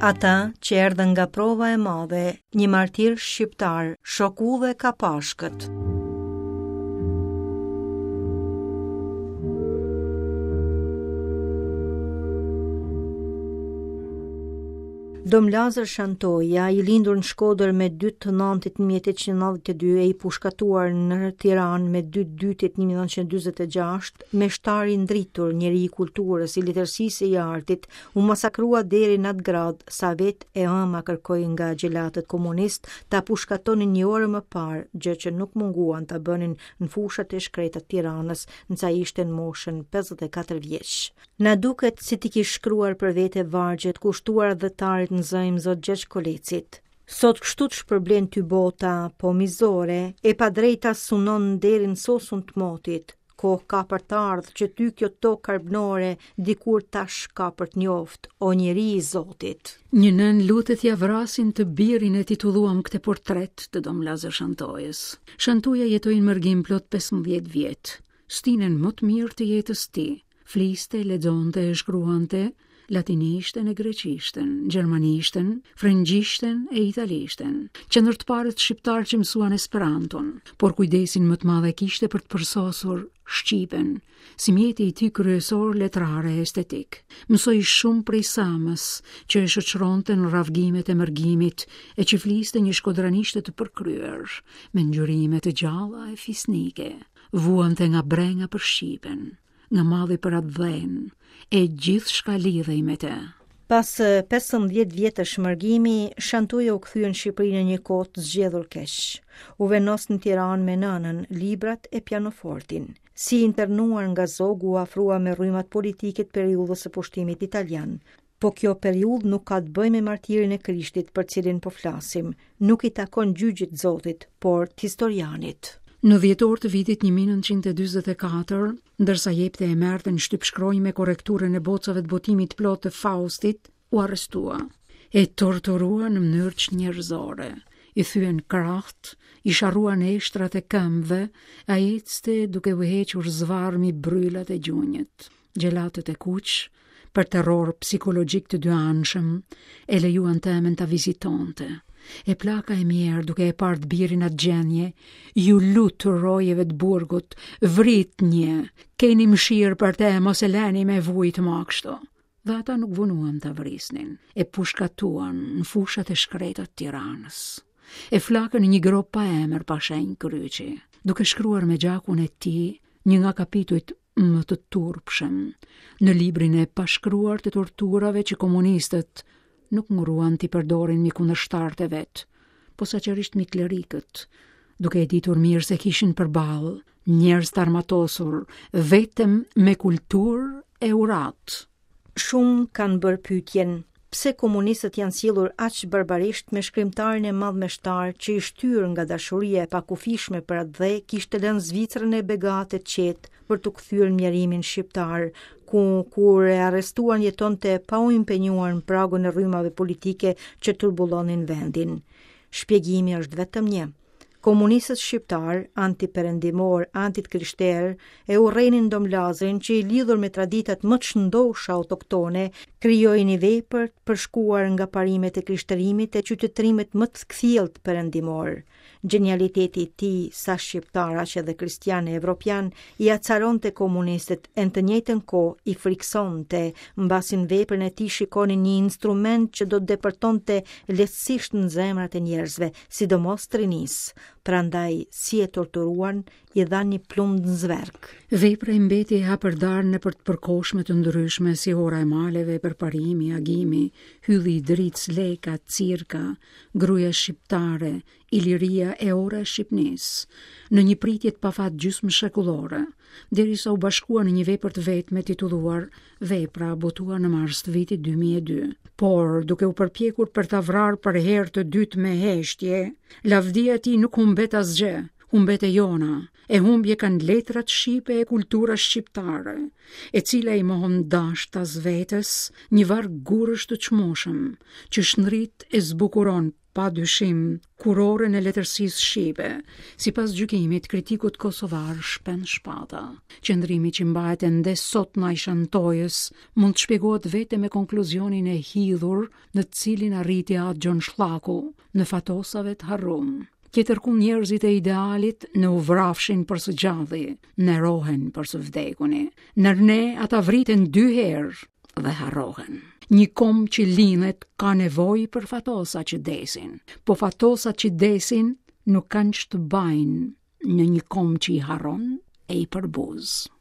Ata që erdhën nga prova e madhe, një martir shqiptar, shok udhe ka Pashkët. Dom Lazër Shantoja, i lindur në Shkodër me 2 të nëntit 1892 e i pushkatuar në Tiranë me 2 dytit 1946, meshtar i ndritur, njeri i kulturës, i letërsisë e i artit, u masakrua deri në atë gradë sa vetë e ëma kërkoi nga xhelatët komunistë ta pushkatonin një orë më parë, gjë që nuk munguan ta bënin në fushat e shkreta të Tiranës, ndërsa ishte në moshën 54 vjeç. Na duket si t'i kish shkruar për vete vargjet kushtuar atdhetarit në zë Imzot Gjergj Kolecit. Sot kështu të shpërblen ty bota, po mizore, e padrejta sunon deri në sosun të motit. Kohë ka për të ardhë që ty kjo tokë arbnore, dikur tash ka për të njoftë, o njeri i Zotit. Një nënë lutet t'ia vrasin të birin e titulluam këtë portret të Dom Lazër Shantojës. Shantoja jetoi në mërgim plot 15 vjet. Stinën më të mirë të jetës tij. Fliste, lexonte e shkruante latinishten e greqishten, gjermanishten, frëngjishten e italishten. Qe ndër të parët shqiptarë që mësuan Esperanton, por kujdesin më të madh e kishte për të përsosur shqipen, si mjeti i tij kryesor letrar e estetik. Mësoi shumë prej s'ëmës, që e shoqëronte në rravgimet e mërgimit e që fliste një shkodranishte të përkryer, me ngjyrime të gjalla e fisnike. Vuante nga brenga për shqipen, nga malli për atdhenë, e gjithçka lidhej me të. Pas 15 vjetësh mërgimi, Shantoja u kthye në Shqipëri në një kohë të zgjedhur keq. U vendos në Tiranë me nënën, librat e pianofortin. Si i internuar nga Zogu u afrua me rrymat politike të periudhës së pushtimit italian. Po kjo periudhë nuk ka të bëjë me martirin e Krishtit për cilin po flasim, nuk i takon gjyqit Zotit, por të historianit. Në dhjetor të vitit 1944, ndërsa jepte e merrte në shtypshkronjë me korrekturën e bocave të botimit të plotë të Faustit, u arrestua. E torturua në mënyrë çnjerëzore. I thyen krahët, i sharruan eshtrat e këmbëve, ai ecte duke u hequr zvarrë mbi brylat e gjunjët. Xhelatët e kuq, për terror psikologjik të dyanshëm, e lejuan të ëmën ta vizitonte. E plaka e mjerë duke e parë të birin n'atë gjendje, iu lut rojeve të burgut, vritnje, keni mëshirë për te, mos e leni me vujt ma kështu. Dhe ata nuk vonuan ta vrisnin, e pushkatuan në fushat e shkreta të Tiranës. E flakën në një gropë pa emër pa shenjë kryqi, duke shkruar me gjakun e tij një nga kapitujt më të turpshëm në librin e pashkruar të torturave që komunistët nuk ngurruan t'i përdorin mbi kundërshtarët e vet, posaçërisht mbi klerikët, duke e ditur mirë se kishin përballë njerëz të armatosur vetëm me kulturë e uratë. Shumë kanë bërë pyetjen, pse komunistët janë sjellur aq barbarisht me shkrimtarin e madh meshtar që i shtyrë nga dashuria e pakufishme për atdhe kishte lënë Zvicrën e begatë e të qetë për t'u kthyer në mjerimin shqiptar, ku kur e arrestuan jetonte pa u impenjuar në pragun e rrymave politike që turbullonin vendin. Shpjegimi është vetëm një. Komunistët shqiptarë, antiperëndimorë, antikrishterë, e urrenin Dom Lazrin që i lidhur me traditat më të shëndosha autoktone, krijoi një vepër të përshkuar nga parimet e krishterimit e qytetërimit më të kthjellët perëndimor. Gjenialiteti i tij, sa shqiptar aq edhe kristian e evropian, i acaronte komunistët e në të njëjtën kohë i frikësonte, mbasi në veprën e tij shikonin një instrument që do të depërtonte lehtësisht në zemrat e njerëzve, sidomos të rinisë. Prandaj, si e torturuan, i dhanë një plumb në zverk. Vepra i mbeti e hapërdarë nëpër të përkohshme të ndryshme si Ora e Maleve, Përparimi, Agimi, Hylli i Dritës, Leka, Cirka, Gruaja Shqiptare, Iliria e Ora e Shqipnisë, në një pritje të pafat gjysmëshekullore, derisa u bashkua në një vepër të vetme titulluar Vepra, botuar në mars të vitit 2002. Por, duke u përpjekur për ta vrarë për herë të dytë me heshtje, lavdia e tij nuk humbet asgjë, humbet e jona, e humbje kanë letrat shqipe e kultura shqiptare, e cila i mohon dashtas vetes një varg gurësh të çmueshëm, që shndrit e zbukuron. pa dyshim, kurorën e letërsisë shqipe, sipas gjykimit kritikut kosovar Shpend Shpata. Qëndrimi që mbahet ende sot ndaj Shantojës mund të shpjegohet vetëm me konkluzionin e hidhur në të cilin arriti At Gjon Shllaku në Fatosave të harrum. Tjetërkund njerëzit e idealit në u vrafshin për së gjalli, nerohen për së vdekuni. Nër ne ata vriten dy herë dhe harrohen. Një komb që lindet ka nevojë për fatosa që desin, po fatosat që desin nuk kanë ç'të bajnë në një komb që i harron e i përbuz.